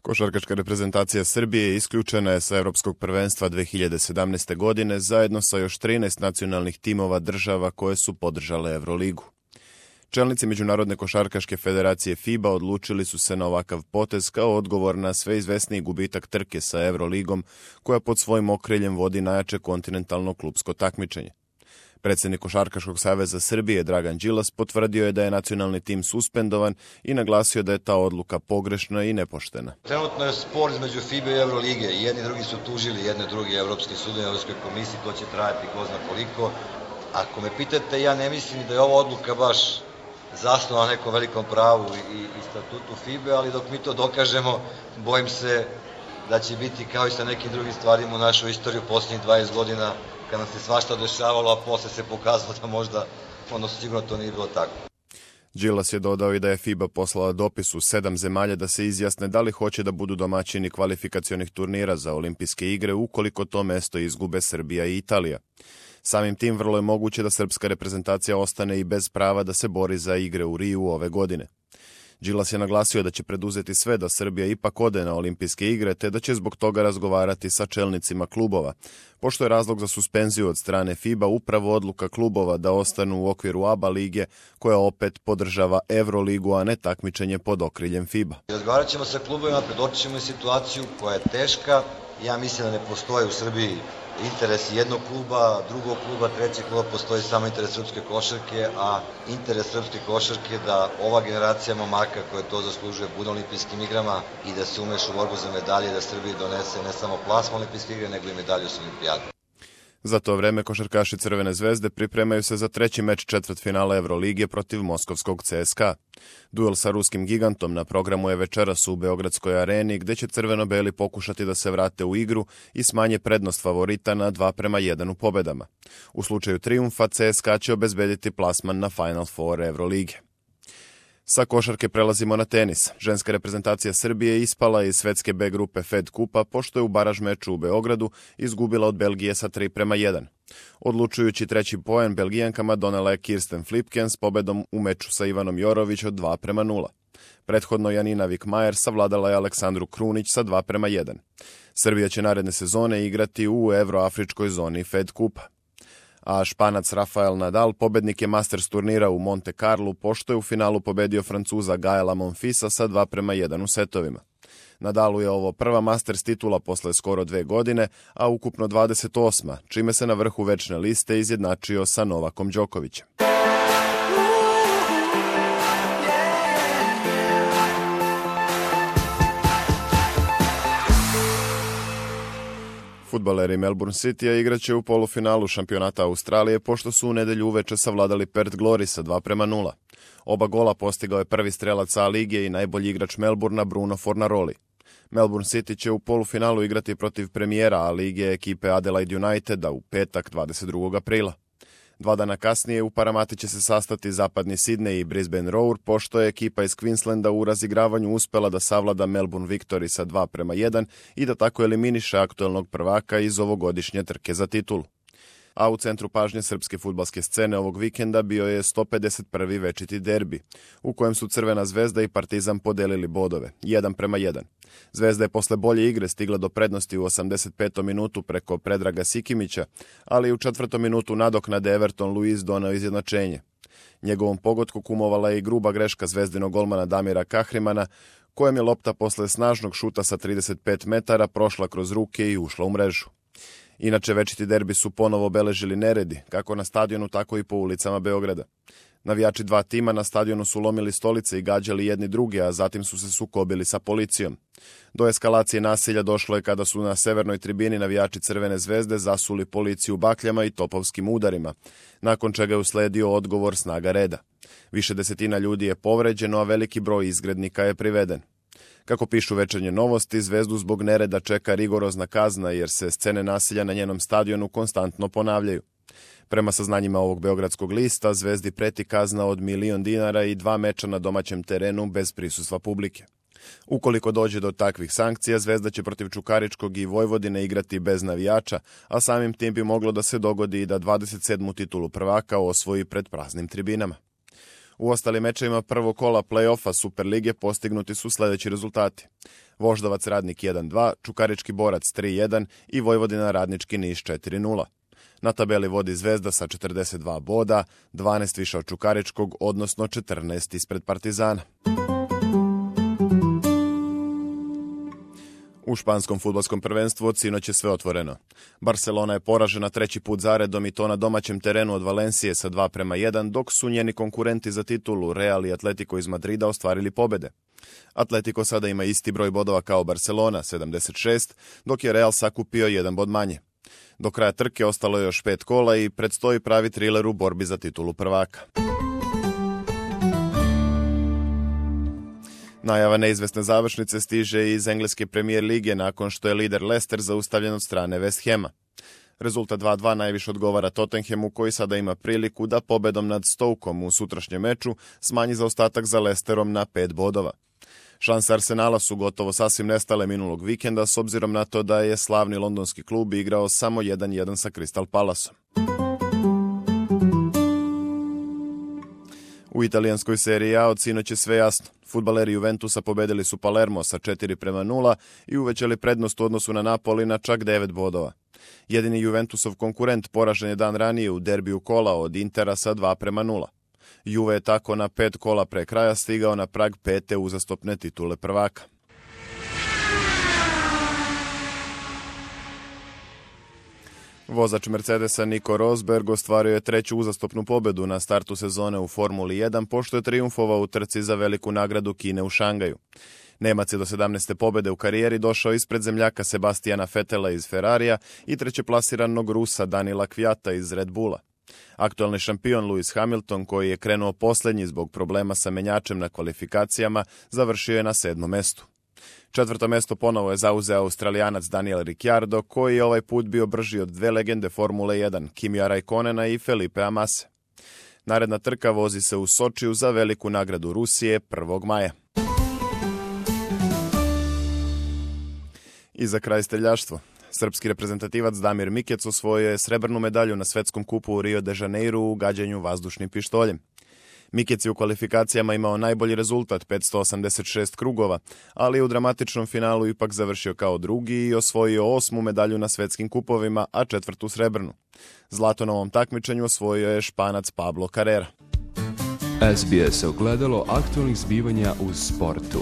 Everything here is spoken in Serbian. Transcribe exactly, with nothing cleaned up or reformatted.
Košarkaška reprezentacija Srbije isključena je sa Evropskog prvenstva dve hiljade sedamnaeste. godine zajedno sa još trinaest nacionalnih timova država koje su podržale Evroligu. Čelnici Međunarodne košarkaške federacije FIBA odlučili su se na ovakav potez kao odgovor na sve izvesniji gubitak trke sa Evroligom, koja pod svojim okriljem vodi najjače kontinentalno klupsko takmičenje. Predsjednik Košarkaškog saveza Srbije Dragan Đilas potvrdio je da je nacionalni tim suspendovan i naglasio da je ta odluka pogrešna i nepoštena. Trenutno je spor između FIBA i Evrolige. Jedni drugi su tužili, jedne drugi Evropski sud i Evropskoj komisiji, to će trajati ko zna koliko. Ako me pitate, ja ne mislim da je ova odluka baš zasnova na nekom velikom pravu i, i statutu FIBA, ali dok mi to dokažemo, bojim se da će biti kao i sa nekim drugim stvarima u našoj istoriji u posljednjih dvadeset godina, kad nam se svašta dešavalo, a posle se pokazalo da možda, odnosno sigurno to nije bilo tako. Đilas je dodao i da je FIBA poslala dopis u sedam zemalja da se izjasne da li hoće da budu domaćini kvalifikacionih turnira za olimpijske igre ukoliko to mesto izgube Srbija i Italija. Samim tim vrlo je moguće da srpska reprezentacija ostane i bez prava da se bori za igre u Riju ove godine. Đilas je naglasio da će preduzeti sve da Srbija ipak ode na olimpijske igre, te da će zbog toga razgovarati sa čelnicima klubova, pošto je razlog za suspenziju od strane FIBA upravo odluka klubova da ostanu u okviru A B A lige, koja opet podržava Evroligu, a ne takmičenje pod okriljem FIBA. Razgovarat ćemo sa klubovima, predočit ćemo situaciju koja je teška. Ja mislim da ne postoje u Srbiji interes jednog kluba, drugog kluba, trećeg kluba, postoji samo interes srpske košarke, a interes srpske košarke je da ova generacija momaka koja to zaslužuje bude na olimpijskim igrama i da se umeša u borbu za medalje, da Srbiji donese ne samo plasma olimpijske igre, nego i medalju s olimpijade. Za to vreme košarkaši Crvene zvezde pripremaju se za treći meč četvrtfinala Evrolige protiv moskovskog C S K A. Duel sa ruskim gigantom na programu je večeras u Beogradskoj areni, gde će crveno-beli pokušati da se vrate u igru i smanje prednost favorita na dva prema jedan u pobedama. U slučaju trijumfa C S K A će obezbediti plasman na Final Four Evrolige. Sa košarke prelazimo na tenis. Ženska reprezentacija Srbije ispala iz svetske B grupe Fed kupa, pošto je u baraž meču u Beogradu izgubila od Belgije sa tri prema jedan. Odlučujući treći poen Belgijankama donela je Kirsten Flipkens s pobedom u meču sa Ivanom Jorović od dva prema nula. Prethodno Janina Vikmajer savladala je Aleksandru Krunić sa dva prema jedan. Srbija će naredne sezone igrati u evroafričkoj zoni Fed kupa. A Španac Rafael Nadal pobednik je Masters turnira u Monte Carlu, pošto je u finalu pobedio Francuza Gaela Monfilsa sa dva prema jedan u setovima. Nadalu je ovo prva Masters titula posle skoro dve godine, a ukupno dvadeset osma, čime se na vrhu večne liste izjednačio sa Novakom Đokovićem. Fudbaleri Melbourne Citya igraće u polufinalu šampionata Australije, pošto su u nedelju uveče savladali Perth Glory sa dva prema nula. Oba gola postigao je prvi strelac A lige i najbolji igrač Melbourna Bruno Fornaroli. Melbourne City će u polufinalu igrati protiv premijera A lige ekipe Adelaide Uniteda u petak dvadeset drugog aprila. Dva dana kasnije u Paramati će se sastati zapadni Sydney i Brisbane Roar, pošto je ekipa iz Queenslanda u razigravanju uspela da savlada Melbourne Victory sa dva prema jedan i da tako eliminiše aktuelnog prvaka iz ovogodišnje trke za titulu. A u centru pažnje srpske fudbalske scene ovog vikenda bio je sto pedeset prvi večiti derbi, u kojem su Crvena zvezda i Partizan podelili bodove, jedan prema jedan. Zvezda je posle bolje igre stigla do prednosti u osamdeset petom minutu preko Predraga Sikimića, ali u četvrtom minutu nadoknade Everton Luiz doneo izjednačenje. Njegovom pogotku kumovala je i gruba greška zvezdinog golmana Damira Kahrimana, kojem je lopta posle snažnog šuta sa trideset pet metara prošla kroz ruke i ušla u mrežu. Inače, večiti derbi su ponovo obeležili neredi, kako na stadionu, tako i po ulicama Beograda. Navijači dva tima na stadionu su lomili stolice i gađali jedni druge, a zatim su se sukobili sa policijom. Do eskalacije nasilja došlo je kada su na severnoj tribini navijači Crvene zvezde zasuli policiju bakljama i topovskim udarima, nakon čega je usledio odgovor snaga reda. Više desetina ljudi je povređeno, a veliki broj izgrednika je priveden. Kako pišu Večernje novosti, Zvezdu zbog nereda čeka rigorozna kazna jer se scene nasilja na njenom stadionu konstantno ponavljaju. Prema saznanjima ovog beogradskog lista, Zvezdi preti kazna od milion dinara i dva meča na domaćem terenu bez prisustva publike. Ukoliko dođe do takvih sankcija, Zvezda će protiv Čukaričkog i Vojvodine igrati bez navijača, a samim tim bi moglo da se dogodi i da dvadeset sedmu titulu prvaka osvoji pred praznim tribinama. U ostalim mečevima prvog kola play-offa Superlige postignuti su sledeći rezultati. Voždovac Radnik jedan dva, Čukarički Borac tri jedan i Vojvodina Radnički Niš četiri nula. Na tabeli vodi Zvezda sa četrdeset dva boda, dvanaest više od Čukaričkog, odnosno četrnaest ispred Partizana. U španskom fudbalskom prvenstvu od sinoć je sve otvoreno. Barcelona je poražena treći put zaredom i to na domaćem terenu od Valencije sa dva prema jedan, dok su njeni konkurenti za titulu Real i Atletico iz Madrida ostvarili pobede. Atletico sada ima isti broj bodova kao Barcelona, sedamdeset šest, dok je Real sakupio jedan bod manje. Do kraja trke ostalo je još pet kola i predstoji pravi triler u borbi za titulu prvaka. Najava neizvesne završnice stiže iz engleske premijer lige nakon što je lider Leicester zaustavljen od strane West Hama. Rezultat dva dva najviše odgovara Tottenhamu, koji sada ima priliku da pobedom nad Stokeom u sutrašnjem meču smanji zaostatak za Leicesterom na pet bodova. Šanse Arsenala su gotovo sasvim nestale minulog vikenda s obzirom na to da je slavni londonski klub igrao samo jedan jedan sa Crystal Palaceom. U italijanskoj seriji A od sinoć je sve jasno. Fudbaleri Juventusa pobedili su Palermo sa četiri prema nula i uvećali prednost u odnosu na Napoli na čak devet bodova. Jedini Juventusov konkurent poražen je dan ranije u derbiju kola od Intera sa dva prema nula. Juve je tako na pet kola pre kraja stigao na prag pete uzastopne titule prvaka. Vozač Mercedesa Nico Rosberg ostvario je treću uzastopnu pobedu na startu sezone u Formuli jedan, pošto je trijumfovao u trci za veliku nagradu Kine u Šangaju. Nemac je do sedamnaeste pobede u karijeri došao ispred zemljaka Sebastijana Vettela iz Ferrarija i trećeplasiranog Rusa Danila Kvyata iz Red Bulla. Aktualni šampion Lewis Hamilton, koji je krenuo poslednji zbog problema sa menjačem na kvalifikacijama, završio je na sedmom mestu. Četvrto mesto ponovo je zauzeo Australijanac Daniel Ricciardo, koji je ovaj put bio brži od dve legende Formule jedan, Kimija Raikkonena i Felipea Masse. Naredna trka vozi se u Sočiju za veliku nagradu Rusije prvog maja. I za kraj streljaštvo. Srpski reprezentativac Damir Mikec osvojio je srebrnu medalju na svetskom kupu u Rio de Janeiru u gađanju vazdušnim pištoljem. Mikec je u kvalifikacijama imao najbolji rezultat, petsto osamdeset šest krugova, ali je u dramatičnom finalu ipak završio kao drugi i osvojio osmu medalju na svetskim kupovima, a četvrtu srebrnu. Zlato na ovom takmičenju osvojio je Španac Pablo Carrera. S B S ogledalo aktualnih zbivanja u sportu.